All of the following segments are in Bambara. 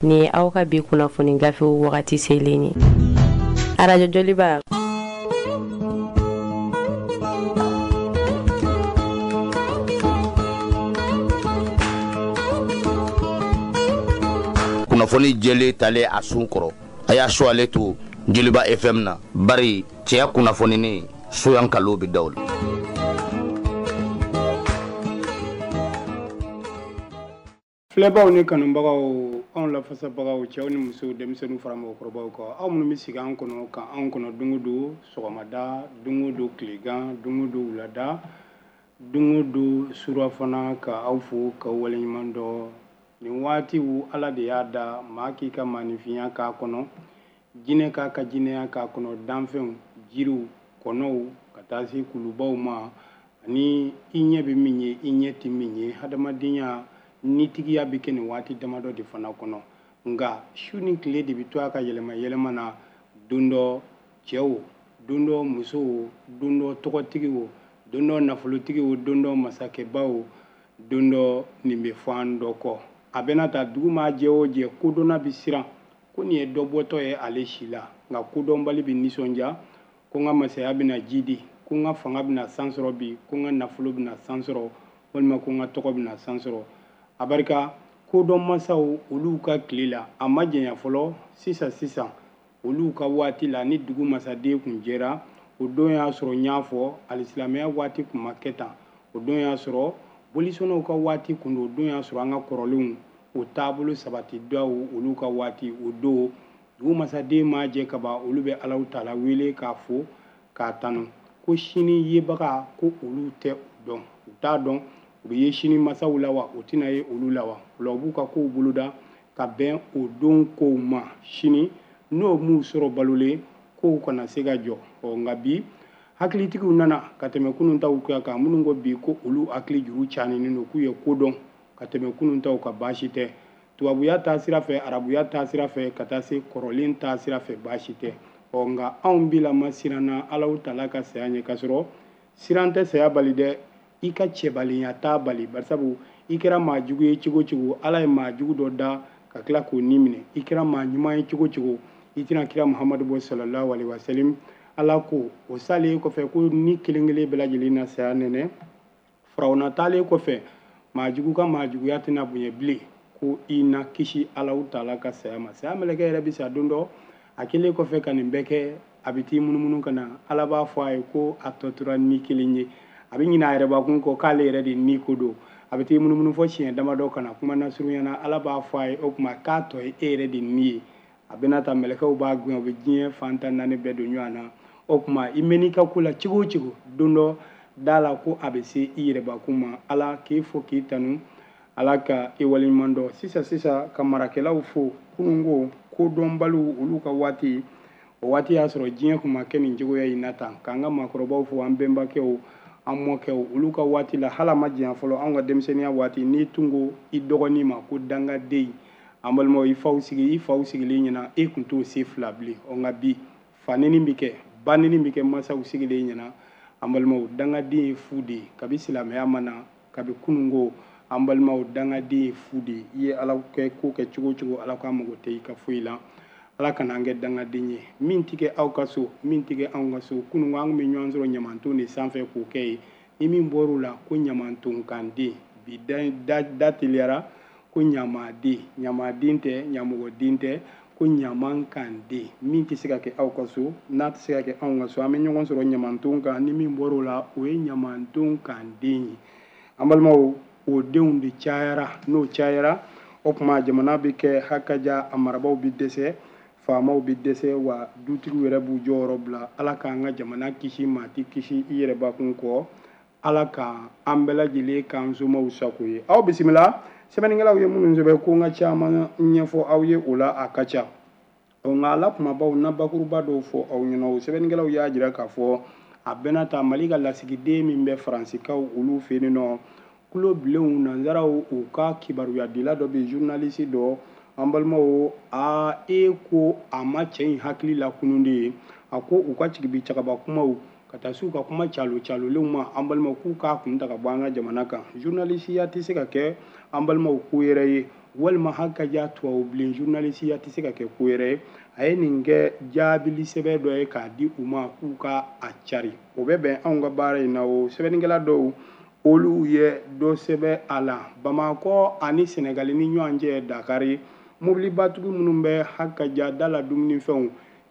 Nin ye aw ka bi kunnafoni gafew wagati selen ye. Arajo Joliba. Kunnafoni jɛlen talen a sun kɔrɔ, a y'a su ale to Joliba FM na, bari cɛya kunnafoninen soyan kalo bɛ da o la. Filɛbaw ni kanubagaw, anw lafasabagaw, cɛw ni musow, denmisɛnninw fara mɔgɔkɔrɔbaw kan, aw minnu bɛ sigi an kɔnɔ ka anw kɔnɔ don o don sɔgɔmada, don o don tilegan, don o don wulada, don o don surafana, ka aw fo k'aw waleɲuman dɔn. Nin waatiw Ala de y'a da, maa k'i ka maaninfinya k'a kɔnɔ, jinɛ k'a ka jinɛya k'a kɔnɔ, danfɛnw, jiriw, kɔnɔw, ka taa se kulubaw ma, ani i ɲɛ bɛ min ye, i ɲɛ tɛ min ye. Hadamadenya nitigiya bɛ kɛ nin waati damadɔ de fana kɔnɔ. Nka su ni tile de bɛ to a ka yɛlɛma yɛlɛma na, don dɔ cɛw, don dɔ musow, don dɔ tɔgɔtigiw, don dɔ nafolotigiw, don dɔ masakɛbaw, don dɔ nin bɛ fɔ an dɔ kɔ. A bɛna ta dugu maa jɛ o jɛ, kodɔnna bɛ siran ko nin ye dɔ bɔtɔ ye ale si la, nka kodɔnbali bɛ nisɔndiya ko n ka masaya bɛna ji di, ko n ka fanga bɛna san sɔrɔ bi, ko n ka nafolo bɛna san sɔrɔ, walima ko n ka tɔgɔ bɛna san sɔrɔ. A barika kodɔn masaw olu ka tile la, a ma janya fɔlɔ, sisan sisan olu ka waati la, ni dugu masaden kun jɛra, o don y'a sɔrɔ n y'a fɔ alisilamɛya waati kun ma kɛ tan, o don y'a sɔrɔ bolisɔnnaw ka waati kun don, o don y'a sɔrɔ an ka kɔrɔlenw o taabolo sabati daw olu ka waati, o don dugu masaden ma jɛ kaban, olu bɛ Alahu taala wele k'a fo k'a tanu ko sini yebaga ko olu tɛ o dɔn, u t'a dɔn u bɛ ye sini masaw la wa, u tɛna ye olu la wa. O la u b'u ka kow boloda ka bɛn o don kow ma, sini n'o m'u sɔrɔ balolen kow kana se ka jɔ. Ɔ nka bi hakilitigiw nana ka tɛmɛ kunun taw kan, minnu ko bi ko olu hakili juru caninen don, k'u ye ko dɔn ka tɛmɛ kunun taw kan, baasi tɛ. Tubabuya taa sira fɛ, arabuya taa sira fɛ, ka taa se kɔrɔlen taa sira fɛ, baasi tɛ. Ɔ nka anw bilama siranna Alahu taala ka saya ɲɛ, k'a sɔrɔ siran tɛ saya bali dɛ, i ka cɛbalenya t'a bali, barisabu i kɛra maa jugu ye cogo cogo, Ala ye maa jugu dɔ da ka tila k'o ni minɛ. I kɛra maa ɲuman ye cogo cogo, i tɛna kira Muhamadu bɔ sallallahu alaihi wasallam. Ala ko o salen kɔfɛ ko ni kelen kelen bɛɛ lajɛlen na saya nɛnɛ. Firawuna taalen kɔfɛ, maa jugu ka maa juguya tɛna bonya bilen, ko i na kisi Alahu taala ka saya ma. Saya mɛlɛkɛ yɛrɛ bɛ sa don dɔ, a kɛlen kɔfɛ ka nin bɛɛ kɛ, a bɛ t'i munumunu ka na, Ala b'a fɔ a ye ko a tɔ tora ni kelen ye. A bɛ ɲinɛ a yɛrɛbakun kɔ k'ale yɛrɛ de ni ko don. A bɛ t'i munumunu fɔ siɲɛ damadɔ ka na, kuma nasurunya na, Ala b'a fɔ a ye o tuma k'a tɔ ye e yɛrɛ de ni ye. A bɛna ta mɛlɛkɛw b'a gɛn, u bɛ diɲɛ fan tan naani bɛɛ don ɲɔgɔn na. O tuma i mɛn'i ka ko la cogo o cogo, don dɔ da la ko a bɛ se i yɛrɛbakun ma. Ala k'e fo k'i tanu, Ala ka i waleɲuman dɔn. Sisan sisan ka marakɛlaw fo, kununko kodɔnbaliw olu ka waati, o waati y'a sɔrɔ diɲɛ kun ma kɛ nin cogoya in na tan. K'an ka maakɔrɔbaw fo, an bɛnbakɛw, an mɔkɛw, olu ka waati la, hali a ma janya fɔlɔ, anw ka denmisɛnninya waati, n'i tun ko i dɔgɔnin ma ko dangaden, an balimaw, i faw sigi, i faw sigilen ɲɛna, e kun t'o se fila bilen. Ɔ nka bi fanini bɛ kɛ, banini bɛ kɛ masaw sigilen ɲɛna. An balimaw, dangaden ye fu de ye kabi silamɛya ma na, kabi kununko. An balimaw, dangaden ye fu de ye. I ye Ala kɛ ko kɛ cogo o cogo, Ala k'a mago tɛ i ka foyi la. Ala kana an kɛ dangaden ye. Min tɛ kɛ aw ka so, min tɛ kɛ anw ka so, kununko an tun bɛ ɲɔgɔn sɔrɔ ɲamanton de sanfɛ k'o kɛ yen. Ni min bɔr'o la ko ɲamantonkanden, bi da teliyara ko ɲamaden, ɲamaden tɛ, ɲamɔgɔden tɛ, ko ɲamankanden. Min tɛ se ka kɛ aw ka so, n'a tɛ se ka kɛ anw ka so, an bɛ ɲɔgɔn sɔrɔ ɲamanton kan. Ni min bɔr'o la, o ye ɲamantonkanden ye. An balimaw, o denw de cayara. N'o cayara, o tuma jamana bɛ kɛ hakaja, a marabaw bɛ dɛsɛ, faamaw bɛ dɛsɛ, wa dutigiw yɛrɛ b'u jɔyɔrɔ bila. Ala k'an ka jamana kisi, maa tɛ kisi i yɛrɛbakun kɔ. Ala ka an bɛɛ lajɛlen k'an somaw sago ye. Aw bisimila, sɛbɛnnikɛlaw ye minnu sɛbɛn ko n ka caman ɲɛfɔ aw ye o la, a ka ca. Ɔ nka a la kumabaw na bakuruba dɔw fɔ aw ɲɛna. O sɛbɛnnikɛlaw y'a jira k'a fɔ a bɛna ta Mali ka lasigiden min bɛ Faransikaw olu fɛ yen nɔ, kulo bilenw nanzaraw u ka kibaruyadila dɔ bɛ, journaliste dɔ, an balimaw, a e ko a ma cɛ in hakili lakunun de ye. A ko u ka cigibi cagaba kumaw ka taa s'u ka kuma calo calolenw ma, an balimaw, k'u k'a kun ta ka bɔ an ka jamana kan. Journalisiya tɛ se ka kɛ an balimaw ko yɛrɛ ye. Walima hakaja tubabu bilen journalisiya tɛ se ka kɛ ko yɛrɛ ye. A ye nin kɛ jaabili sɛbɛn dɔ ye k'a di u ma k'u ka a cari. O bɛ bɛn anw ka baara in na. O sɛbɛnnikɛla dɔw, olu ye dɔ sɛbɛn a la. Bamakɔ ani Sɛnɛgali ni ɲɔgɔn cɛ, Dakari, mobilibatigi minnu bɛ hakaja da la, dumunifɛnw,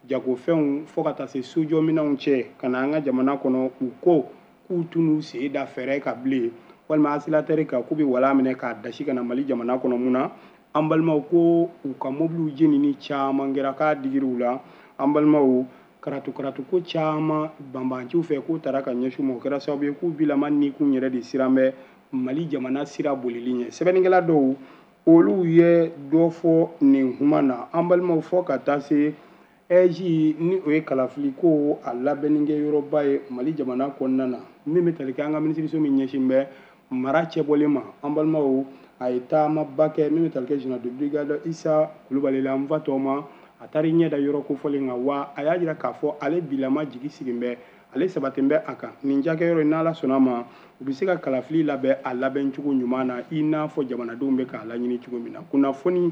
jagofɛnw, fo ka taa se sojɔminɛnw cɛ ka na an ka jamana kɔnɔ, u ko k'u t'u sen da fɛrɛ ka bilen walima accélérateur kan, k'u bɛ wala minɛ k'a dasi ka na Mali jamana kɔnɔ. Mun na, an balimaw, ko u ka mobiliw jenini caman kɛra, k'a digiri u la. An balimaw, karatu karatu ko caman banbanciw fɛ k'u taara ka ɲɛsin ma, o kɛra sababu ye k'u bilama nikun yɛrɛ de siran bɛ Mali jamana sira bolili ɲɛ. Sɛbɛnnikɛla dɔw, olu ye dɔ fɔ nin kuma na. An balimaw, fɔ ka taa se AIGE, ni o ye kalafili ko a labɛnnikɛ yɔrɔba ye Mali jamana kɔnɔna na, min bɛ tali kɛ an ka minisiriso min ɲɛsin bɛ mara cɛbɔlen ma, an balimaw, a ye taamaba kɛ min bɛ tali kɛ général de brigade Isa Kulubali la, n fa tɔgɔ ma. A taara i ɲɛ da yɔrɔ kofɔlen kan wa a y'a jira k'a fɔ ale bilama jigi sigi bɛ, ale sabaten bɛ a kan nin cakɛyɔrɔ in, n'Ala sɔnna ma, u bɛ se ka kalafili labɛn a labɛncogo ɲuman na, i n'a fɔ jamanadenw bɛ k'a laɲini cogo min na. Kunnafoni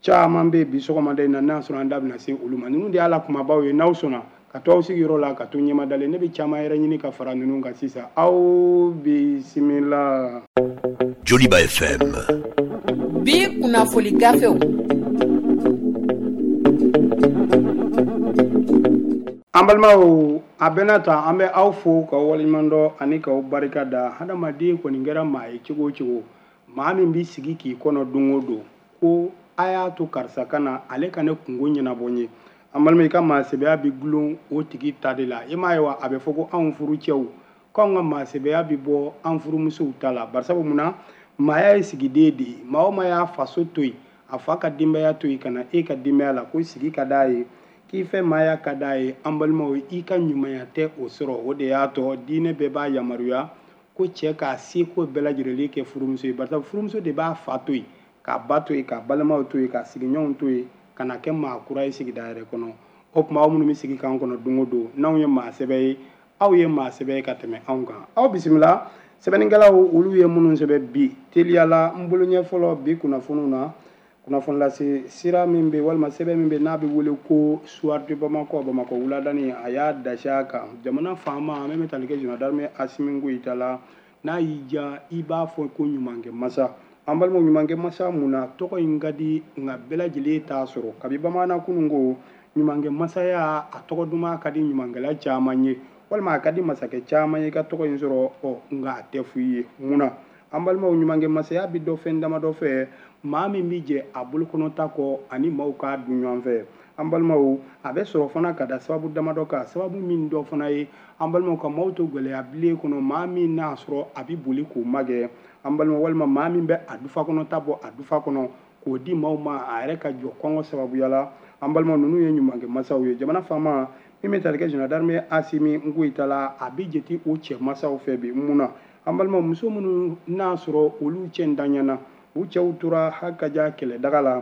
caman bɛ bi sɔgɔmada in na, n'a sɔrɔ an da bɛna se olu ma. Ninnu de y'a la kumabaw ye. N'aw sɔnna ka to aw sigiyɔrɔ la, ka to ɲɛmadalen, ne bɛ caman yɛrɛ ɲini ka fara ninnu kan sisan. Aw bisimila. Joliba FM. Bi kunnafoli gafew. An balimaw, a bɛna ta, an bɛ aw fo k'aw waleɲuman dɔn ani k'aw barika da. Hadamaden kɔni kɛra maa ye cogo o cogo, maa min b'i sigi k'i kɔnɔ don o don ko a y'a to karisa ka na, ale ka ne kungo ɲɛnabɔ n ye, an balima, i ka maasɛbɛya bɛ gulon o tigi ta de la. I m'a ye wa, a bɛ fɔ ko anw furucɛw, k'anw ka maasɛbɛya bɛ bɔ an furumusow ta la. Barisabu munna? Maaya ye sigiden de ye. Maa o maa y'a faso to yen, a fa ka denbaya to yen ka na e ka denbaya la, ko sigi ka d'a ye, k'i fɛ maaya ka d'a ye, an balimaw, i ka ɲumanya tɛ o sɔrɔ. O de y'a tɔ diinɛ bɛɛ b'a yamaruya ko cɛ k'a seko bɛɛ lajɛlen kɛ furumuso ye, barisa furumuso de b'a fa to yen, k'a ba to yen, k'a balimaw to yen, k'a sigiɲɔgɔnw to yen, ka na kɛ maa kura ye sigida yɛrɛ kɔnɔ. O tuma, aw minnu bɛ sigi k'an kɔnɔ don o don, n'anw ye maa sɛbɛ ye, aw ye maa sɛbɛ ye ka tɛmɛ anw kan. Aw bisimila. Sɛbɛnnikɛlaw, olu ye minnu sɛbɛn bi, teliyala n bolo ɲɛ fɔlɔ bi kunnafoniw na, kunnafoni lase sira min bɛ, walima sɛbɛn min bɛ, n'a bɛ wele ko Soir de Bamako, Bamakɔ wuladani, a y'a dasi a kan jamana faama min bɛ tali kɛ général d'armée Asimi Goyita la. N'a y'i diya, i b'a fɔ ko ɲumankɛ masa. An balimaw, ɲumankɛ masa, mun na tɔgɔ in ka di nka bɛɛ lajɛlen t'a sɔrɔ? Kabi bamanan kunun ko ɲumankɛ masaya, a tɔgɔ duman ka di ɲumankɛla caman ye, walima a ka di masakɛ caman ye ka tɔgɔ in sɔrɔ. Ɔ, nka a tɛ f'i ye. Mun na, an balimaw? Ɲumankɛ masaya bɛ dɔ fɛn damadɔ fɛ, maa min bɛ jɛ a bolokɔnɔta kɔ ani maaw k'a dun ɲɔgɔn fɛ. An balimaw, a bɛ sɔrɔ fana ka da sababu damadɔ kan, sababu min dɔ fana ye, an balimaw, ka maaw to gɛlɛya bilen kɔnɔ, maa min n'a sɔrɔ a bɛ boli k'o magɛ, an balima, walima maa min bɛ a dufa kɔnɔta bɔ a dufa kɔnɔ k'o di maaw ma, a yɛrɛ ka jɔ kɔngɔ sababuya la. An balima, ninnu ye ɲumankɛ masaw ye. Jamana faama min bɛ tali kɛ général d'armée Asimi Goyita la, a bɛ jate o cɛ masaw fɛ bi. Mun na, an balima, muso minnu n'a sɔrɔ olu cɛ ntanyana, u cɛw tora hakaja kɛlɛdaga la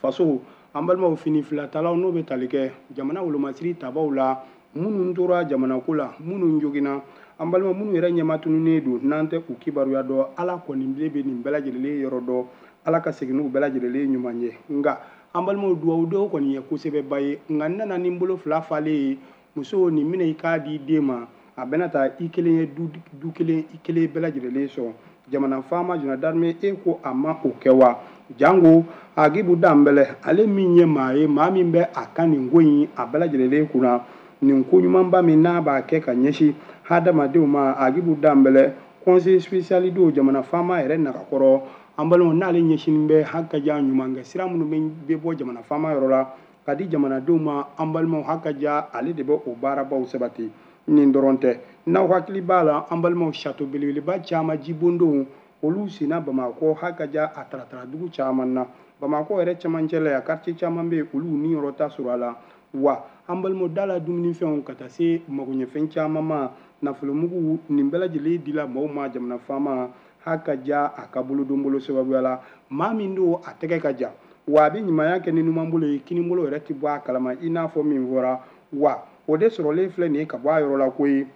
faso, an balimaw, fini filatalaw, n'o bɛ tali kɛ jamana wolomasiri tabaw la, minnu tora jamanako la, minnu joginna, an balima, minnu yɛrɛ ɲɛma tununnen don, n'an tɛ u kibaruya dɔn, Ala kɔni bilen bɛ nin bɛɛ lajɛlen yɔrɔ dɔn. Ala ka segin n'u bɛɛ lajɛlen ɲuman ye. Nka an balimaw, duwawu dɔw kɔni ye kosɛbɛba ye, nka n nana ni n bolo fila falen ye. Muso nin minɛ, i k'a di den ma, a bɛna taa i kelen ye du kelen, i kelen bɛɛ lajɛlen sɔn. Jamana faama général d'armée, e ko a ma o kɛ wa? Jango Agibu Danbɛlɛ, ale min ye maa ye, maa min bɛ a ka nin ko in a bɛɛ lajɛlen kunna, nin ko ɲumanba min n'a b'a kɛ ka ɲɛsin hadamadenw ma, Agibu Danbɛlɛ, conseiller spécial don jamana faama yɛrɛ nagakɔrɔ, an balimaw, n'ale ɲɛsinnen bɛ hakaja ɲumankɛ sira minnu bɛ bɔ jamana faama yɔrɔ la ka di jamanadenw ma, an balimaw, hakaja ale de bɛ o baarabaw sabati. Nin dɔrɔn tɛ, n'aw hakili b'a la, an balimaw, château belebeleba caman, jibondonw, olu senna Bamakɔ hakaja a taratara dugu caman na. Bamakɔ yɛrɛ cɛmancɛ la yan, quartier caman bɛ yen, olu niyɔrɔ ta sɔrɔ a la wa. An balimaw, da la dumunifɛnw ka taa se magoɲɛfɛn caman ma, nafolomugu, nin bɛɛ lajɛlen dila maaw ma jamana faama hakaja a ka bolodonbolo sababuya la. Maa min don, a tɛgɛ ka jan wa, a bɛ ɲumanya kɛ ni numan bolo ye, kini bolo yɛrɛ tɛ bɔ a kalama, i n'a fɔ min fɔra wa, o de sɔrɔlen filɛ nin ye ka bɔ a yɔrɔ la koyi.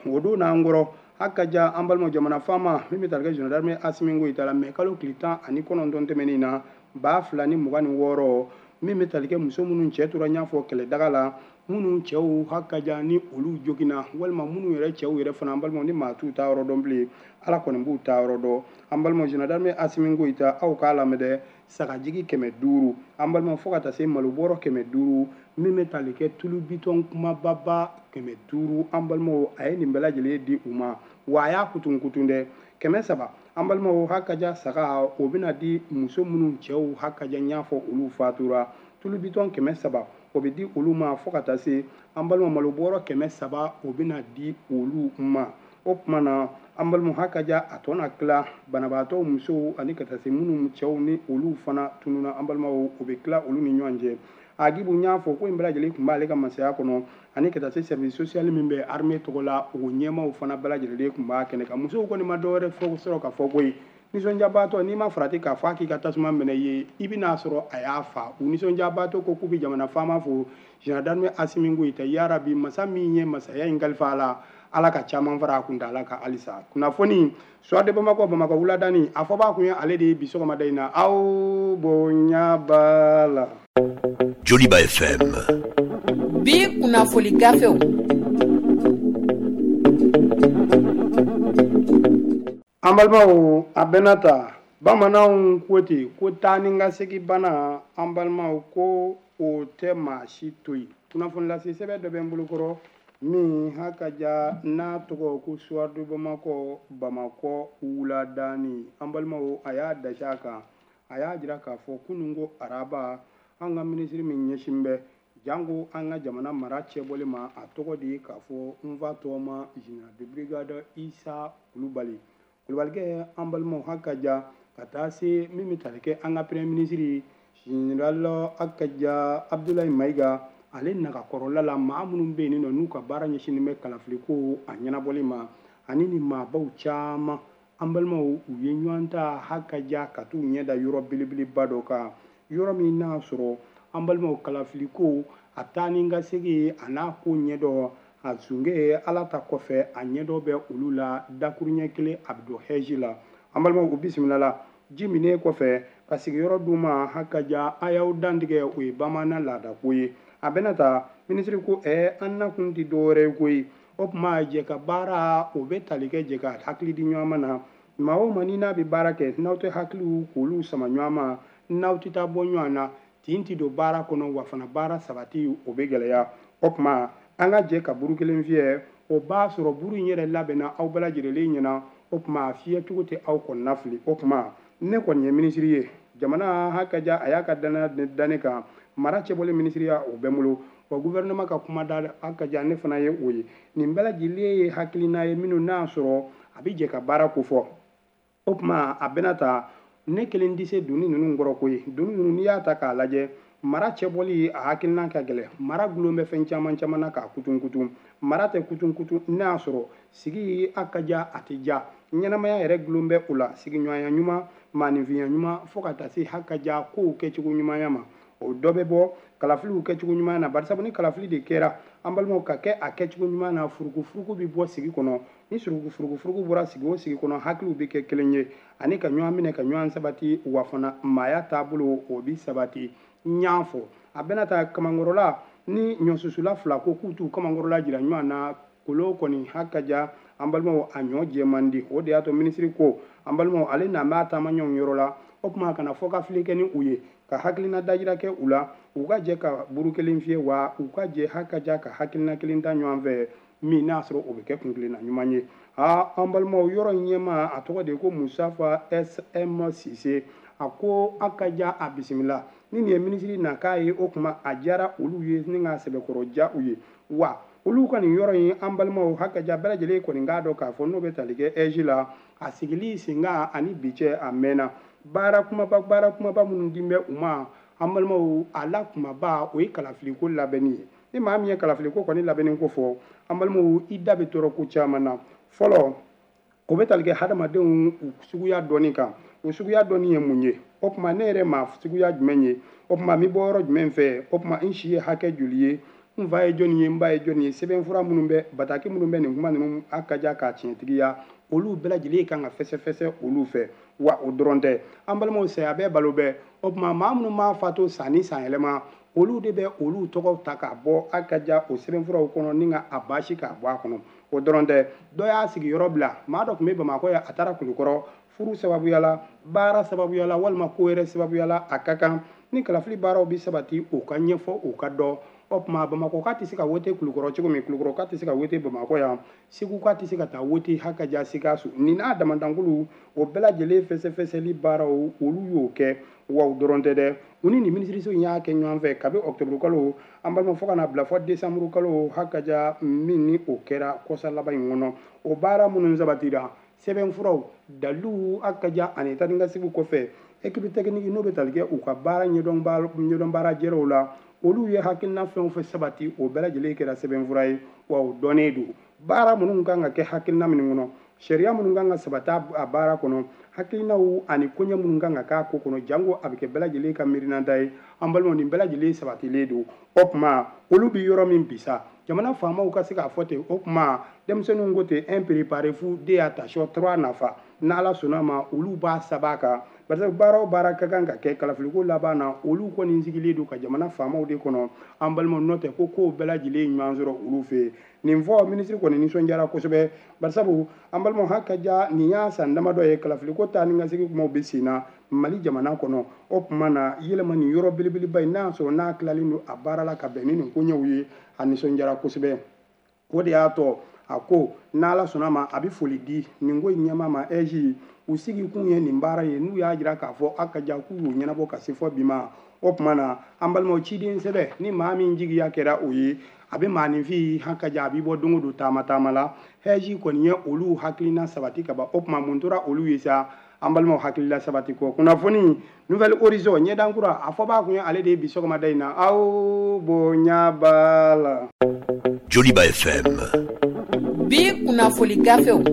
O don n'an kɔrɔ, Hakaja an balimaw, jamana faama min bɛ tali kɛ général d'armée Asimi Goyita la, mɛ kalo tile 19 tɛmɛnen na 2026, min bɛ tali kɛ muso minnu cɛ tora n y'a fɔ kɛlɛdaga la, minnu cɛw hakaja ni olu joginna, walima minnu yɛrɛ cɛw yɛrɛ fana, an balimaw, ni maa t'u ta yɔrɔ dɔn bilen, Ala kɔni b'u ta yɔrɔ dɔn. An balimaw, général d'armée Asimi Goyita, aw k'a lamɛn dɛ, sagajigi 500, an balimaw, fo ka taa se malobɔrɔ 500, min bɛ tali kɛ tulu bitɔn kumababa 500, an balimaw, a ye nin bɛɛ lajɛlen di u ma. Wa a y'a kutun kutun dɛ, 300, an balimaw, hakaja saga o bɛna di muso minnu cɛw hakaja n y'a fɔ olu fatura, tulu bitɔn 300 o bɛ di olu ma, fo ka taa se an balima malobɔrɔ 300 o bɛna di olu ma. O tuma na, an balima, hakaja a tɔ na tila banabaatɔ musow ani ka taa se minnu cɛw ni olu fana tununa, an balimaw, o bɛ tila olu ni ɲɔgɔn cɛ. Agibu n y'a fɔ ko in bɛɛ lajɛlen tun b'ale ka masaya kɔnɔ, ani ka taa se service social min bɛ armée tɔgɔ la, o ɲɛmaaw fana bɛɛ lajɛlen tun b'a kɛnɛ kan. Musow kɔni ma dɔwɛrɛ fɔ sɔrɔ ka fɔ koyi, nisɔndiyabaatɔ n'i ma farati k'a fɔ a k'i ka tasuma minɛ ye, i bɛn'a sɔrɔ a y'a fa. U nisɔndiyabaatɔ ko k'u bɛ jamana faama fo, général d'armée Asimi Goyita, yarabi masa min ye masaya in kalifa a la, Ala ka caman fara a kuntaala kan halisa. Kunnafoni Soir de Bamakɔ, Bamakɔ wuladani, a fɔbaa kun ye ale de ye bi sɔgɔmada in na. Aw bonya b'a la. Joliba FM. Bi kunnafoni gafew. An balimaw, a bɛnna ta bamananw ko ten ko taa ni ka segin bana, an balimaw, ko o tɛ maa si to yen. Kunnafoni lase sɛbɛn dɔ bɛ n bolokɔrɔ min hakaja n'a tɔgɔ ko Soir de Bamakɔ, Bamakɔ wuladani. An balimaw, a y'a dasi a kan, a y'a jira k'a fɔ kunun ko araba, an ka minisiri min ɲɛsin bɛ janko an ka jamana mara cɛbɔli ma, a tɔgɔ de ye k'a fɔ n fa tɔgɔma général de brigade Isa Kulubali. Kulubalikɛ, an balimaw, hakaja ka taa se min bɛ tali kɛ an ka premier ministre général hakaja Abdoulaye Mayiga, ale nagakɔrɔla la, maa minnu bɛ yen nɔ n'u ka baara ɲɛsinnen bɛ kalafiliko a ɲɛnabɔli ma, ani ni maabaw caman, an balimaw, u ye ɲɔgɔn ta hakaja ka t'u ɲɛ da yɔrɔ belebeleba dɔ kan, yɔrɔ min n'a sɔrɔ, an balimaw, kalafiliko a taa ni ka segin a n'a ko ɲɛdɔn a zunge Ala ta kɔfɛ, a ɲɛdɔn bɛ olu la dakuruɲɛ kelen a bɛ don hɛji la. An balimaw, u bisimila la ji minen kɔfɛ ka sigiyɔrɔ d'u ma. Hakaja a y'aw dantigɛ, o ye bamanan laadako ye. A bɛna ta minisiri ko an nakun tɛ dɔwɛrɛ ye koyi, o tuma jɛ ka baara o bɛ tali kɛ jɛ ka hakili di ɲɔgɔn ma na. Maa o maa ni n'a bɛ baara kɛ, n'aw tɛ hakiliw k'olu sama ɲɔgɔn ma, n'aw tɛ taa bɔ ɲɔgɔn na, tin tɛ don baara kɔnɔ, wa fana baara sabati o bɛ gɛlɛya. O tuma an ka jɛ ka buru kelen fiyɛ, o b'a sɔrɔ buru in yɛrɛ labɛnna aw bɛɛ lajɛlen ɲɛna, o tuma a fiyɛcogo tɛ aw kɔnɔna fili. O tuma ne kɔni ye minisiri ye, jamana hakaja a y'a ka danaya da ne kan, mara cɛbɔli minisiriya o bɛ n bolo, wa gouvernement ka kuma da hakaja ne fana ye o ye. Nin bɛɛ lajɛlen ye hakilina ye minnu n'a sɔrɔ a bɛ jɛ ka baara ko fɔ. O tuma a bɛna ta ne kelen tɛ se doni ninnu kɔrɔ koyi. Doni ninnu, n'i y'a ta k'a lajɛ, mara cɛbɔli a hakilina ka gɛlɛn, mara gulon bɛ fɛn caman caman na k'a kutun kutun. Mara tɛ kutun kutun n'a y'a sɔrɔ sigi a ka ja, a tɛ ja, ɲɛnamaya yɛrɛ gulon bɛ o la, sigiɲɔgɔnya ɲuman, maaninfinya ɲuman, fo ka taa se hakaja kow kɛcogo ɲumanya ma, o dɔ bɛ bɔ kalafiliw kɛcogo ɲuman na. Barisabu ni kalafili de kɛra, an balimaw, ka kɛ a kɛcogo ɲuman na, furukufuruku bɛ bɔ sigi kɔnɔ. Ni furukufuruku bɔra sigi o sigi kɔnɔ, hakiliw bɛ kɛ kelen ye ani ka ɲɔgɔn minɛ ka ɲɔgɔn sabati, wa fana maaya taabolo o bɛ sabati. N y'a fɔ a bɛna ta kamankɔrɔla ni ɲɔsusula fila ko k'u t'u kamankɔrɔla jira ɲɔgɔn na, kolo kɔni hakaja, an balimaw, a ɲɔ jɛ man di. O de y'a to minisiri ko, an balimaw, ale na b'a taama ɲɔgɔn yɔrɔ la, o tuma kana fɔ ka fili kɛ ni u ye, ka hakilina dajira kɛ u la, u ka jɛ ka buru kelen fiyɛ, wa u ka jɛ hakaja ka hakilina kelen ta ɲɔgɔn fɛ, min n'a sɔrɔ o bɛ kɛ kuntilenna ɲuman ye. Aa, an balimaw, yɔrɔ in ɲɛmaa a tɔgɔ de ye ko Musafa SM Sise. A ko a ka ja, a bisimila ni nin ye minisiri na k'a ye. O tuma a diyara olu ye ni k'a sɛbɛkɔrɔ ja u ye, wa olu ka nin yɔrɔ in, an balimaw, hakaja bɛɛ lajɛlen kɔni k'a dɔn k'a fɔ n'o bɛ tali kɛ ɛzi la, a sigili senkan ani bi cɛ a mɛnna. Baara kumaba, baara kumaba minnu di bɛ u ma, an balimaw, a la kumaba o ye kalafiliko labɛnni ye. Ni maa min ye kalafiliko kɔni labɛnni ko fɔ, an balimaw, i da bɛ tɔɔrɔ ko caman na. Fɔlɔ, o bɛ tali kɛ hadamadenw u suguya dɔɔni kan. O suguya dɔɔni ye mun ye? O tuma ne yɛrɛ maa suguya jumɛn ye? O tuma n bɛ bɔ yɔrɔ jumɛn fɛ? O tuma n si ye hakɛ joli ye? N fa ye jɔnni ye, n ba ye jɔnni ye, sɛbɛnfura minnu bɛ, bataki minnu bɛ nin kuma ninnu a ka ja k'a tiɲɛtigiya, olu bɛɛ lajɛlen kan ka fɛsɛfɛsɛ olu fɛ. Wa o dɔrɔn tɛ, an balimaw, saya bɛɛ balo bɛɛ. O tuma maa minnu m'a fatu san ni san yɛlɛma, olu de bɛ olu tɔgɔw ta k'a bɔ a ka ja o sɛbɛnfuraw kɔnɔ ni ka a baasi k'a bɔ a kɔnɔ. O dɔrɔn tɛ, dɔ y'a sigiyɔrɔ bila, maa dɔ tun bɛ Bamakɔ yan, a taara Kulukɔrɔ furu sababuya la, baara sababuya la, walima ko wɛrɛ sababuya la. A ka kan ni kalafili baaraw bɛ sabati, o ka ɲɛfɔ, o ka dɔn. O tuma Bamakɔ ka tɛ se ka wote Kulukɔrɔ cogo min, Kulukɔrɔ ka tɛ se ka wote Bamakɔ yan, Segu ka tɛ se ka taa wote hakaja Sikaso. Nin n'a damandankulu, o bɛɛ lajɛlen fɛsɛfɛsɛli baaraw, olu y'o kɛ. Wa o dɔrɔn tɛ dɛ, u ni nin minisiriso in y'a kɛ ɲɔgɔn fɛ kabi ɔkutɔburu kalo, an balima, fo ka na bila fɔ desanburu kalo hakaja min ni o kɛra kɔsa laban in kɔnɔ. O baara minnu sabatira, sɛbɛnfuraw, daliluw hakaja ani taanikasigiw kɔfɛ, équipe technique n'o bɛ tali kɛ u ka baara ɲɛdɔn baara jɛrɛw la, olu ye hakilina fɛn o fɛn sabati, o bɛɛ lajɛlen kɛra sɛbɛnfura ye. Wa o dɔnnen don, baara minnu kan ka kɛ hakilina minnu kɔnɔ, sariya minnu kan ka sabati a baara kɔnɔ, hakilinaw ani koɲɛ minnu kan ka k'a ko kɔnɔ, janko a bɛ kɛ bɛɛ lajɛlen ka miirinanta ye. An balimaw, nin bɛɛ lajɛlen sabatilen don. O tuma olu bɛ yɔrɔ min bi sa, jamana faamaw ka se k'a fɔ ten. O tuma denmisɛnninw ko ten, un préparez-vous, deux attention, trois nafa. N'Ala sɔnna ma, olu b'a saba kan, parce que baara o baara ka kan ka kɛ kalafiliko laban na, olu kɔni sigilen don ka jamana faamaw de kɔnɔ. An balimaw, n'o tɛ ko kow bɛɛ lajɛlen ɲuman sɔrɔ olu fɛ yen. Nin fɔ minisiri kɔni nisɔndiyara kosɛbɛ, barisabu an balimaw, hakaja nin y'a san damadɔ ye kalafiliko taa ni ka segin kumaw bɛ sen na Mali jamana kɔnɔ. O tuma na yɛlɛma nin yɔrɔ belebeleba in, n'a y'a sɔrɔ n'a tilalen don a baara la ka bɛn ni nin koɲɛw ye, a nisɔndiyara kosɛbɛ. O de y'a tɔ a ko n'Ala sɔnna ma, a bɛ foli di nin ko in ɲɛmaa ma ɛzi u sigi kun ye nin baara ye, n'u y'a jira k'a fɔ a ka ja k'u y'o ɲɛnabɔ ka se fɔ bi ma. O tuma na an balimaw, ciden sɛbɛ ni maa min jigiya kɛra o ye, a bɛ maaninfin hakaja a b'i bɔ don o don taama taama la. Hɛji kɔni ye olu hakilina sabati ka ban. O tuma mun tora olu ye sa, an balimaw, hakilila sabati kɔ? Kunnafoni Nouvel Horizon ɲɛdankura, a fɔ b'a kun ye ale de ye bi sɔgɔmada in na. Aw bonya b'a la. Joliba FM. Bi kunnafoli gafew.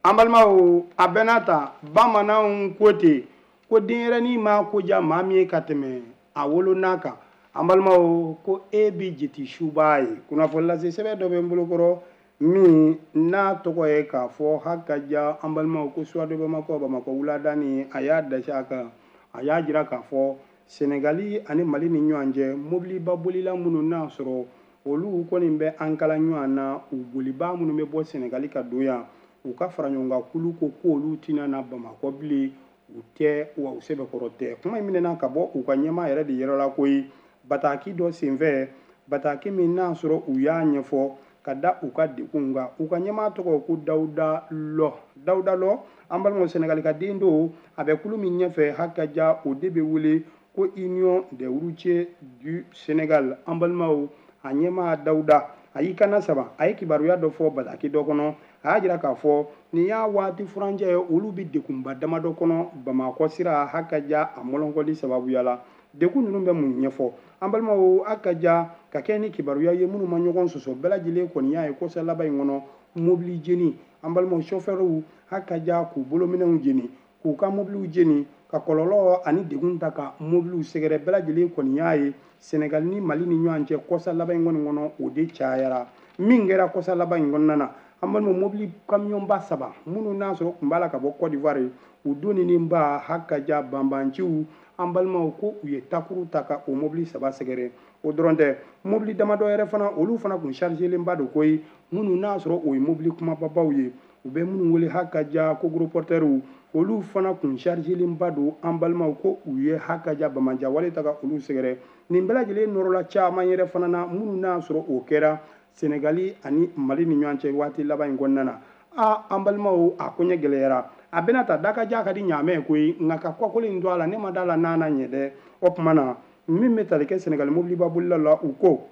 An balimaw, a bɛɛ n'a ta, bamananw ko ten ko denyɛrɛnin ma ko diya maa min ye ka tɛmɛ a wolo n'a kan. An balimaw, ko e bi jeti suba ye. Kunnafoni lase sɛbɛn dɔ bɛ n bolokɔrɔ min n'a tɔgɔ ye k'a fɔ hakaja, an balimaw, ko Soir de Bamakɔ, Bamakɔ wuladani, a y'a dasi a kan, a y'a jira k'a fɔ Senegali ani Mali ni ɲɔgɔn cɛ, mobiliba bolila minnu n'a sɔrɔ olu kɔni bɛ an kala ɲɔgɔn na, u bolibaa minnu bɛ bɔ Senegali ka don yan, u ka fara ɲɔgɔn kan kulu ko k'olu tɛna na Bamakɔ bilen, u tɛ wa u sɛbɛkɔrɔ tɛ. Kuma in minɛna ka bɔ u ka ɲɛmaa yɛrɛ de yɔrɔ la koyi, bataki dɔ senfɛ, bataki min n'a sɔrɔ u y'a ɲɛfɔ ka da u ka degun kan. U ka ɲɛmaa tɔgɔ ko Dawuda Lɔ. Dawuda Lɔ, an balimaw, Senegali ka den don. A bɛ kulu min ɲɛfɛ hakaja, o de bɛ wele ko Union des routiers du Sénégal. An balimaw, a ɲɛmaa Dawuda, a y'i kana saba, a ye kibaruya dɔ fɔ bataki dɔ kɔnɔ. A y'a jira k'a fɔ nin y'a waati furancɛ ye, olu bɛ degunba damadɔ kɔnɔ Bamakɔ sira hakaja a mɔlɔnkɔli sababuya la. Degun ninnu bɛ mun ɲɛfɔ, an balimaw, hakaja ka kɛ ni kibaruya ye minnu ma ɲɔgɔn sɔsɔ, bɛɛ lajɛlen kɔni y'a ye kɔsa laban in kɔnɔ, mobili jeni, an balimaw, sɔfɛriw hakaja k'u bolominɛnw jeni, k'u ka mobiliw jeni, ka kɔlɔlɔ ani degun ta ka mobiliw sɛgɛrɛ. Bɛɛ lajɛlen kɔni y'a ye Senegali ni Mali ni ɲɔgɔn cɛ kɔsa laban in kɔni kɔnɔ, o de cayara. Min kɛra kɔsa laban in kɔnɔna na, an balimaw, mobili kamiyɔnba saba minnu n'a sɔrɔ tun b'a la ka bɔ Côte d'Ivoire, u donni ba hakaja banbanciw, an balimaw, ko u ye takuru ta ka o mobili saba sɛgɛrɛ. O dɔrɔn tɛ, mobili damadɔ yɛrɛ fana, olu fana kun chargélenba don koyi, minnu n'a sɔrɔ o ye mobili kumababaw ye, u bɛ minnu wele hakaja ko gros porteurs, olu fana kun chargélenba don. An balimaw, ko u ye hakaja bamanja wale ta ka olu sɛgɛrɛ. Nin bɛɛ lajɛlen nɔrɔla caman yɛrɛ fana na, minnu n'a sɔrɔ o kɛra Senegali ani Mali ni ɲɔgɔn cɛ waati laban in kɔnɔna na. A an balimaw, a koɲɛ gɛlɛyara. A bɛna ta dakaja ka di ɲaamɛ koyi, nka ka kɔkolo in to a la, ne ma da la n'a na ɲɛ dɛ. O tuma na min bɛ tali kɛ Senegali mobiliba bolila la, u ko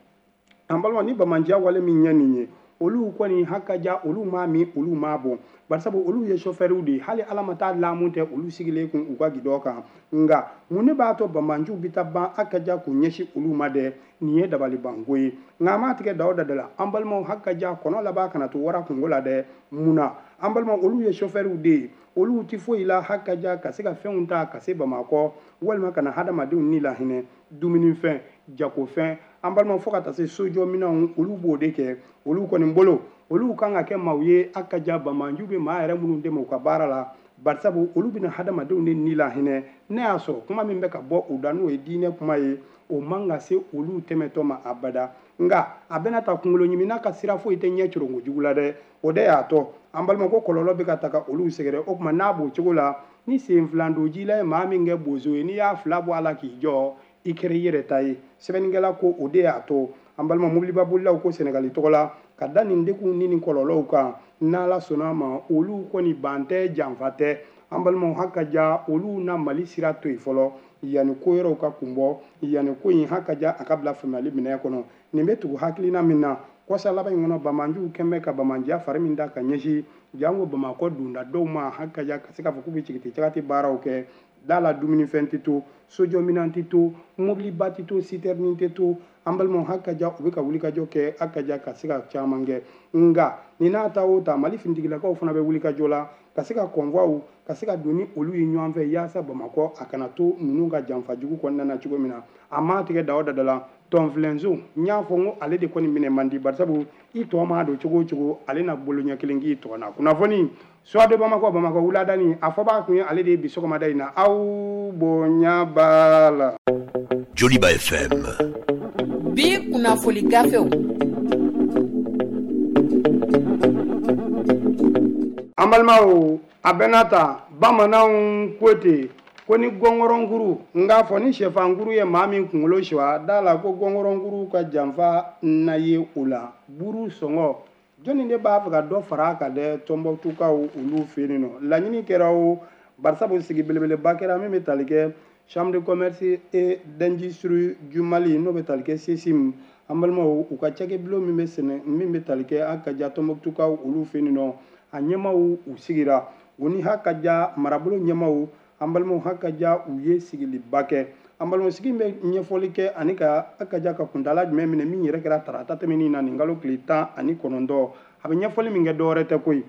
an balima, ni bamanjiya wale min ɲɛ nin ye, olu kɔni hakaja olu m'a min, olu m'a bɔn, barisabu olu ye sɔfɛriw de ye, hali Ala ma taa laamu tɛ olu sigilen kun u ka gidɔn kan. Nka mun ne b'a to banbanciw bɛ taa ban hakaja k'u ɲɛsin olu ma dɛ? Nin ye dabalibanko ye. Nka an m'a tigɛ da o da la, an balimaw, hakaja kɔnɔ laban kana to wara kungo la dɛ. Mun na, an balimaw, olu ye sɔfɛriw de ye, Olu tɛ foyi la hakaja ka se ka fɛnw ta ka se Bamakɔ walima ka na hadamadenw ni lahinɛ, dumunifɛn, jagofɛn, an balima, fo ka taa se sojɔminɛnw, olu b'o de kɛ. Olu kɔni bolo, olu kan ka kɛ maaw ye hakaja banbaanciw bɛ maa yɛrɛ minnu dɛmɛ u ka baara la, barisabu olu bɛna hadamadenw de ni lahinɛ. Ne y'a sɔrɔ kuma min bɛ ka bɔ u da, n'o ye diinɛ kuma ye, o man ka se olu tɛmɛtɔ ma abada. Nka a bɛna ta kunkolo ɲimina ka sira foyi tɛ ɲɛ coronko jugu la dɛ. O de y'a tɔ, an balima, ko kɔlɔlɔ bɛ ka ta ka olu sɛgɛrɛ. O tuma n'a b'o cogo la, ni sen filan don ji la ye maa min kɛ bozo ye, n'i y'a fila bɔ a la k'i jɔ, i kɛra i yɛrɛ ta ye. Sɛbɛnnikɛla ko o de y'a to, an balima, mobiliba bolilaw ko Sɛnɛgali tɔgɔ la ka da nin degun ni nin kɔlɔlɔw kan, n'Ala sɔnna a ma, olu kɔni ban tɛ, janfa tɛ. An balimaw, hakaja olu na Mali sira to yen fɔlɔ yanni ko yɔrɔw ka kun bɔ, yanni ko in hakaja a ka bila faamuyali minɛ kɔnɔ. Nin bɛ tugu hakilina min na, kɔsa laban in kɔnɔ, banbaanciw kɛn bɛ ka bamanjiya fari min da ka ɲɛsin janko Bamakɔ donda dɔw ma, hakaja ka se k'a fɔ k'u bɛ jigiti cagati baaraw kɛ da la, dumunifɛn tɛ to, sojɔminɛn tɛ to, mobiliba tɛ to, citerne tɛ to. An balimaw, hakaja u bɛ ka wulikajɔ kɛ hakaja ka se ka caman kɛ. Nka nin n'a ta o ta, Mali finitigilakaw fana bɛ wulikajɔ la ka se ka convoiw ka se ka don ni olu ye ɲɔgɔn fɛ, yaasa Bamakɔ a kana to ninnu ka janfa jugu kɔnɔna na cogo min na. A ma tigɛ da o da la tɔnfilenso, n y'a fɔ n ko ale de kɔni minɛ man di, barisabu i tɔ maa don cogo o cogo, ale na bolo ɲɛ kelen k'i tɔ na. Kunnafoni Soir de Bamako, Bamakɔ wuladani, a fɔ b'a kun ye ale de ye bi sɔgɔmada in na. Aw bonya b'a la. Joliba FM. Bi kunnafoli gafew. An balimaw, a bɛna ta bamananw ko ten ko ni gɔngɔrɔnkuru, n k'a fɔ ni sɛfankuru ye maa min kunkolo suwa da la, ko gɔngɔrɔnkuru ka janfa na ye o la. Buru sɔngɔ, jɔnni de b'a fɛ ka dɔ fara a kan dɛ? Tɔnbɔkutukaw olu fɛ yen nɔ, laɲini kɛra o, barisabu sigi belebeleba kɛra min bɛ tali kɛ Chambre de commerce et d'industrie du Mali, n'o bɛ tali kɛ CECIM. An balimaw, u ka cakɛbulon min bɛ sɛnɛ, min bɛ tali kɛ a ka ja Tɔnbɔkutukaw olu fɛ yen nɔ, a ɲɛmaw u sigira, u ni hakaja marabolo ɲɛmaw. An balimaw, hakaja u ye sigiliba kɛ. An balimaw, sigi bɛ ɲɛfɔli kɛ ani ka hakaja ka kuntala jumɛn minɛ, min yɛrɛ kɛra tarata tɛmɛnin na, nin kalo tile 19. A bɛ ɲɛfɔli min kɛ, dɔwɛrɛ tɛ koyi.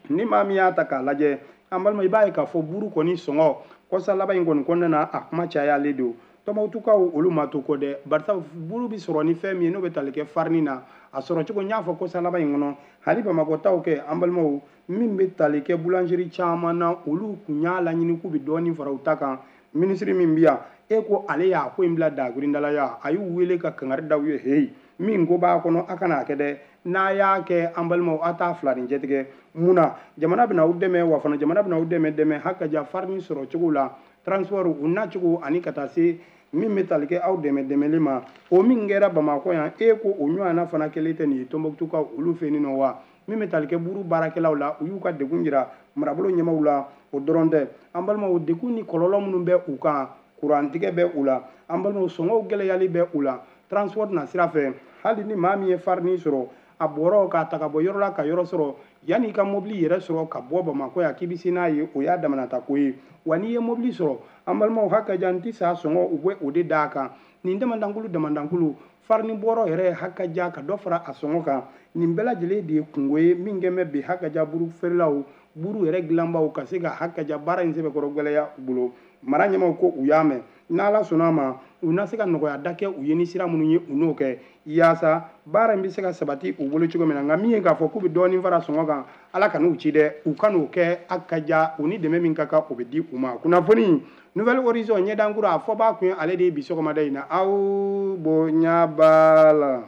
Ni maa min y'a ta k'a lajɛ, an balima, i b'a ye k'a fɔ buru kɔni sɔngɔ kɔsa laban in kɔni kɔnɔna na, a kuma cayalen don. Tɔnbɔkutukaw olu ma to kɔ dɛ, barisa buru bɛ sɔrɔ ni fɛn min ye, n'o bɛ tali kɛ farini na, a sɔrɔ cogo n y'a fɔ kɔsa laban in kɔnɔ, hali Bamakɔ taw kɛ. An balimaw, min bɛ tali kɛ boulangerie caman na, olu kun y'a laɲini k'u bɛ dɔɔnin fara u ta kan. Minisiri min bɛ yan, e ko ale y'a ko in bila dagurindalaya, a y'u wele ka kangari da u ye: heyi, min ko b'a kɔnɔ, a kana a kɛ dɛ. N'a y'a kɛ, an balimaw, a t'a fila ni cɛtigɛ. Mun na jamana bɛna aw dɛmɛ? Wa fana jamana bɛna aw dɛmɛ hakaja farini sɔrɔ cogo la, transport u nacogo, ani ka taa se min bɛ tali kɛ aw dɛmɛ dɛmɛli ma. O min kɛra Bamakɔ yan, e ko o ɲɔgɔnna fana kɛlen tɛ nin ye Tɔnbɔkutukaw olu fɛ yen nɔ wa. Min bɛ tali kɛ buru baarakɛlaw la, u y'u ka degun jira marabolo ɲɛmaw la. O dɔrɔn tɛ, an balimaw, degun ni kɔlɔlɔ minnu bɛ u kan, kurantigɛ bɛ u la, an balimaw, sɔngɔw gɛlɛyali bɛ u la transport na sira fɛ. Hali ni maa min ye farini sɔrɔ, a bɔrɔ k'a ta ka bɔ yɔrɔ la ka yɔrɔ sɔrɔ, yanni i ka mobili yɛrɛ sɔrɔ ka bɔ Bamakɔ yan k'i bɛ se n'a ye, o y'a damanata ko ye wa. N'i ye mobili sɔrɔ, an balimaw, hakaja n tɛ sa sɔngɔ, u bɛ o de d'a kan. Nin damandankulu damandankulu, farini bɔrɔ yɛrɛ hakaja ka dɔ fara a sɔngɔ kan, nin bɛɛ lajɛlen de ye kungo ye min kɛn bɛ bi hakaja buru feerelaw, buru yɛrɛ dilanbaw ka se ka hakaja baara in sɛbɛkɔrɔ gɛlɛya u bolo. Mara ɲɛmaw ko u y'a mɛn, n'Ala sɔnna a ma, u na se ka nɔgɔya da kɛ u ye ni sira minnu ye, u n'o kɛ yaasa baara in bɛ se ka sabati u bolo cogo min na. Nka min ye k'a fɔ k'u bɛ dɔɔnin fara sɔngɔ kan, Ala ka n'u ci dɛ, u ka n'o kɛ. A ka ja u ni dɛmɛ min ka kan, o bɛ di u ma. Kunnafoni Nouvel Horizon, ɲɛdankura, a fɔ b'a kun ye ale de ye bi sɔgɔmada in na. Aw bonya b'a la.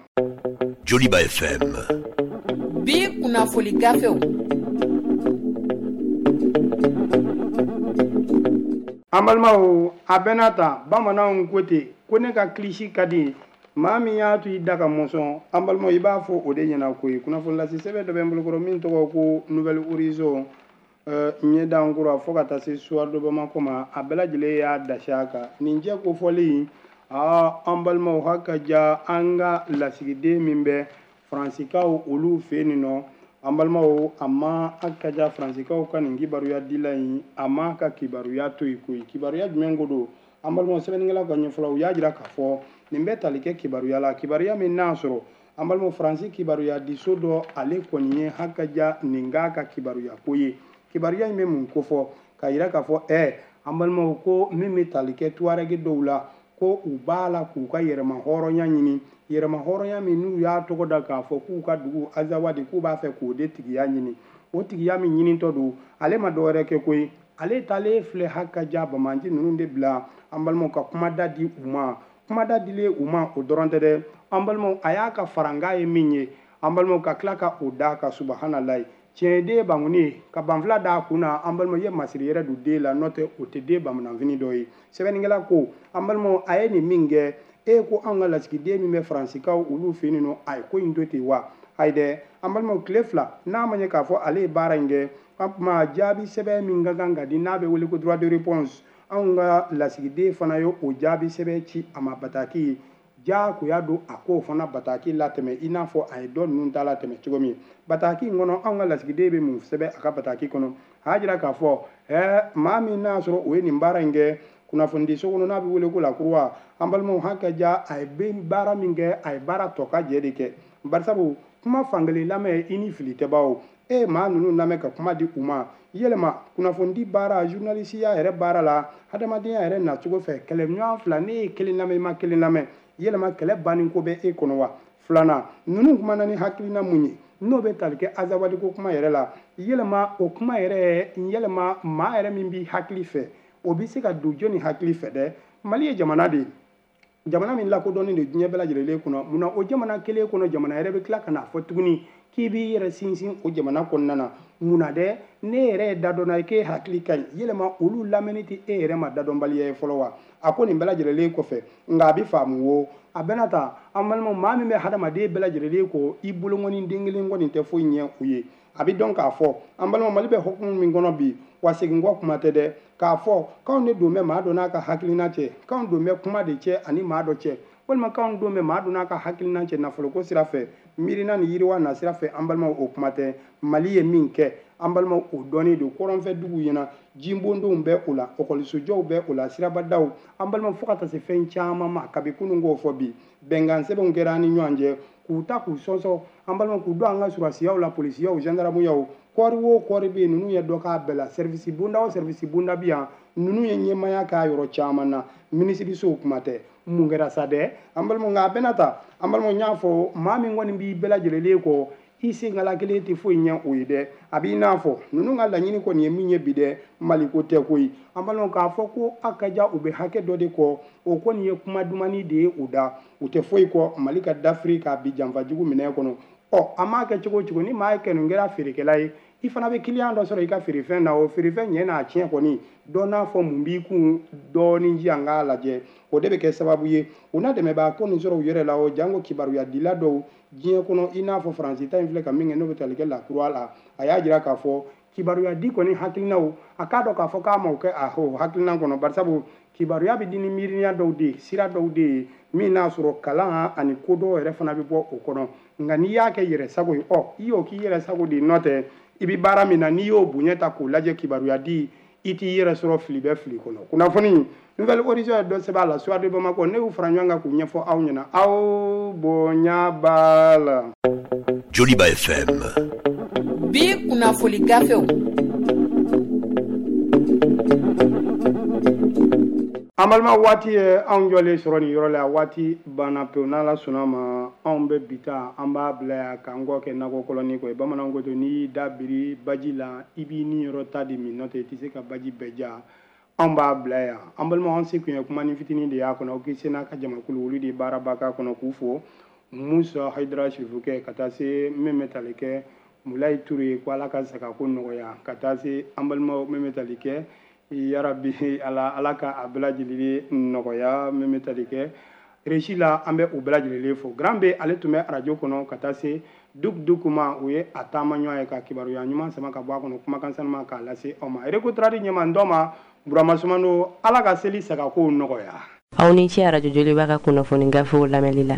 Joliba FM. Bi kunnafoli gafew. An balimaw, a bɛna ta bamananw ko ten ko ne ka kilisi ka di maa min y'a to i da ka mɔsɔn. An balimaw, i b'a fɔ o de ɲɛna koyi. Kunnafoni lase sɛbɛn dɔ bɛ n bolokɔrɔ min tɔgɔ ko Nouvel Horizon, ɲɛdankura, fo ka taa se Soir de Bamako ma, a bɛɛ lajɛlen y'a dasi a kan nin jɛ kofɔli. Aa, an balimaw, haka ja an ka lasigiden min bɛ Faransikaw olu fɛ yen nɔ, an balimaw, a ma a ka ja Faransikaw ka nin kibaruya dila in, a ma ka kibaruya to yen koyi. Kibaruya jumɛn ko don, an balimaw? Sɛbɛnnikɛlaw ka ɲɛfɔlaw, u y'a jira k'a fɔ nin bɛ tali kɛ kibaruya la, kibaruya min n'a sɔrɔ, an balimaw, Faransi kibaruya diso dɔ, ale kɔni ye hakaja nin k'a ka kibaruya ko ye. Kibaruya in bɛ mun kofɔ? K'a yira k'a fɔ an balimaw, ko min bɛ tali kɛ Tuareg dɔw la, ko u b'a la k'u ka yɛrɛma hɔrɔnya ɲini, yɛrɛma hɔrɔnya min n'u y'a tɔgɔ da k'a fɔ k'u ka dugu Azawadi, k'u b'a fɛ k'o de tigiya ɲini. O tigiya min ɲinitɔ don, ale ma dɔwɛrɛ kɛ koyi, ale taalen filɛ haka ja bamanci ninnu de bila an balimaw ka kumada di u ma. Kumada dilen u ma, o dɔrɔn tɛ dɛ, an balimaw, a y'a ka faranga ye min ye, an balimaw, ka tila ka o d'a kan. Subahanallahi, tiɲɛ den banguni ye ka banfila d'a kun na. An balimaw, ye masiri yɛrɛ don den la, n'o tɛ o tɛ den bamananfini dɔ ye. Sɛbɛnnikɛla ko, an balimaw, a ye nin min kɛ, e ko an ka lasigiden min bɛ Faransikaw olu fɛ yen nɔ, a ye ko in to ten wa? Ayi dɛ, an balimaw, tile 2 n'a ma ɲɛ k'a fɔ ale ye baara in kɛ, an kuma jaabi sɛbɛn min ka kan ka di, n'a bɛ wele ko droit de réponse, anw ka lasigiden fana ye o jaabi sɛbɛn ci a ma bataki diyagoya don a k'o fana bataki latɛmɛ, i n'a fɔ a ye dɔ ninnu ta latɛmɛ cogo min. Bataki in kɔnɔ, anw ka lasigiden bɛ mun sɛbɛn a ka bataki kɔnɔ? A y'a jira k'a fɔ maa min n'a sɔrɔ o ye nin baara in kɛ kunnafonidiso kɔnɔ, n'a bɛ wele ko La Croix, an balimaw, hakɛ ja, a ye baara min kɛ, a ye baara tɔ ka jɛ de kɛ, barisabu kuma fankelen lamɛn i ni fili tɛ bawo. E maa ninnu lamɛn ka kuma di u ma, yɛlɛma kunnafonidi baara, journalisiya yɛrɛ baara la, hadamadenya yɛrɛ nacogo fɛ, kɛlɛɲɔgɔn fila, ne ye kelen lamɛn, i ma kelen lamɛn, yɛlɛma kɛlɛ banni ko bɛ e kɔnɔ wa? Filanan, ninnu kumana ni hakilina mun ye n'o bɛ tali kɛ Azawadi ko kuma yɛrɛ la, yɛlɛma o kuma yɛrɛ, yɛlɛma maa yɛrɛ min b'i hakili fɛ, o bɛ se ka don jɔnni hakili fɛ dɛ? Mali ye jamana de ye, jamana min lakodɔnnen don diɲɛ bɛɛ lajɛlen kɔnɔ. Munna o jamana kelen kɔnɔ, jamana yɛrɛ bɛ tila ka n'a fɔ tuguni k'i b'i yɛrɛ sinsin o jamana kɔnɔna na? Munna dɛ? Ne yɛrɛ ye dadɔnna ye k'e hakili ka ɲi, yɛlɛma olu lamɛnni tɛ e yɛrɛ ma dadɔnbaliya ye fɔlɔ wa? A ko nin bɛɛ lajɛlen kɔfɛ, nka a bɛ faamu wo, a bɛna ta. An balimaw, maa min bɛ hadamaden bɛɛ lajɛlen kɔ, i bolonkɔni den kelen kɔni tɛ foyi ɲɛ u ye. A bɛ dɔn k'a fɔ, an balimaw, Mali bɛ hukumu min kɔnɔ bi, wa segin kɔ kuma tɛ dɛ, k'a fɔ k'anw de don bɛ maa dɔ n'a ka hakilina cɛ, k'anw don bɛ kuma de cɛ ani maa dɔ cɛ, walima k'anw don bɛ maa dɔ n'a ka hakilina cɛ nafoloko sira fɛ, miirina ni yiriwa na sira fɛ, an balimaw, o kuma tɛ. Mali ye min kɛ, an balimaw, o dɔnnen don kɔrɔnfɛ duguw ɲɛna, jinbondenw bɛ o la, ɔkɔlisojɔw bɛ o la, sirabadaw, an balimaw, fo ka taa se fɛn caman ma. Kabi kunun k'o fɔ bi, bɛnkan sɛbɛnw kɛra an ni ɲɔgɔn cɛ, k'u ta k'u sɔnsɔn, an balimaw, k'u don an ka surasiyaw la, polisiyaw, gendarmeyaw, kɔɔri o kɔɔri bɛ yen, ninnu ye dɔ k'a bɛɛ la. Service bonda o service bonda bɛ yan, ninnu ye ɲɛmaaya k'a yɔrɔ caman na, minisirisow kuma tɛ. Mun kɛra sa dɛ, an balimaw? Nka a bɛna ta, an balimaw, n y'a fɔ, maa min kɔni b'i bɛɛ lajɛlen kɔ, i senkala kelen tɛ foyi ɲɛ o ye dɛ. A b'i n'a fɔ ninnu ka laɲini kɔni ye min ye bi dɛ, Mali ko tɛ koyi. An balimaw, k'a fɔ ko a ka ja u bɛ hakɛ dɔ de kɔ, o kɔni ye kuma dumani de ye u da, u tɛ foyi kɔ Mali ka dafiri k'a bi janfajugu minɛ kɔnɔ. Ɔ, a m'a kɛ cogo o cogo, ni maa ye kɛnɛ kɛra feerekɛla ye, i fana bɛ kiliyan dɔ sɔrɔ i ka feerefɛn na, o feerefɛn ɲɛ n'a tiɲɛ kɔni, dɔ n'a fɔ mun b'i kun dɔɔnin ji an k'a lajɛ, o de bɛ kɛ sababu ye u na dɛmɛbaa ko nin sɔrɔ u yɛrɛ la. O janko kibaruya dila dɔw diɲɛ kɔnɔ, i n'a fɔ Faransi ta in filɛ ka min kɛ, n'o bɛ tali kɛ La Croix la, a y'a jira k'a fɔ kibaruya di kɔni hakilinaw, a k'a dɔn k'a fɔ k'a ma o kɛ a o hakilina kɔnɔ, barisabu kibaruya bɛ di ni miiriya dɔw de ye, sira dɔw de ye min n'a sɔrɔ kalan ani ko dɔw yɛrɛ fana bɛ bɔ o kɔnɔ. Nka n'i y'a kɛ yɛrɛ sago ye, ɔ, i y'o k'i yɛrɛ sago de ye, n'o tɛ i bɛ baara min na, n'i y'o bonya ta k'o lajɛ, kibaruya di, i t'i yɛrɛ sɔrɔ fili bɛ fili kɔnɔ. Kunnafoni Nouvelle Horizon ye dɔ sɛbɛn a la, Soir de Bamako, ne y'u fara ɲɔgɔn kan k'u ɲɛfɔ aw ɲɛna, aw bonya b'a la. Joliba FM. Bi kunnafoli gafew. An balima, waati ye anw jɔlen sɔrɔ nin yɔrɔ la, waati banna pewu. N'Ala sɔnna ma, anw bɛ bi ta, an b'a bila yan k'an kɔ kɛ nakɔ kɔlɔni kɔ ye. Bamananw ko ten, n'i y'i da biri baji la, i b'i ni yɔrɔ ta de min, n'o tɛ i tɛ se ka baji bɛɛ ja. Anw b'a bila yan, an balimaw. An se kun ye kuma ni fitinin de y'a kɔnɔ. O k'i se n'a ka jamakulu, olu de ye baaraba k'a kɔnɔ, k'u fo, Musa Hayidara Sirifukɛ, ka taa se min bɛ tali kɛ Mulayi Ture, ko Ala ka sagako nɔgɔya, ka taa se an balimaw min bɛ tali kɛ, yarabi Ala, Ala ka a bɛɛ lajɛlen nɔgɔya, min bɛ tali kɛ régie la, an bɛ u bɛɛ lajɛlen fo. Grand B, ale tun bɛ arajo kɔnɔ, ka taa se Duk Dukuma, o ye a taama ɲɔgɔn ye ka kibaruya ɲuman sama ka bɔ a kɔnɔ, kumakan sanuma k'a lase aw ma. Recotrade ɲɛma n dɔ ma, Burama Sumano, Ala ka seli sagakow nɔgɔya. Aw ni ce arajo Joliba ka kunnafoni gafew lamɛnli la.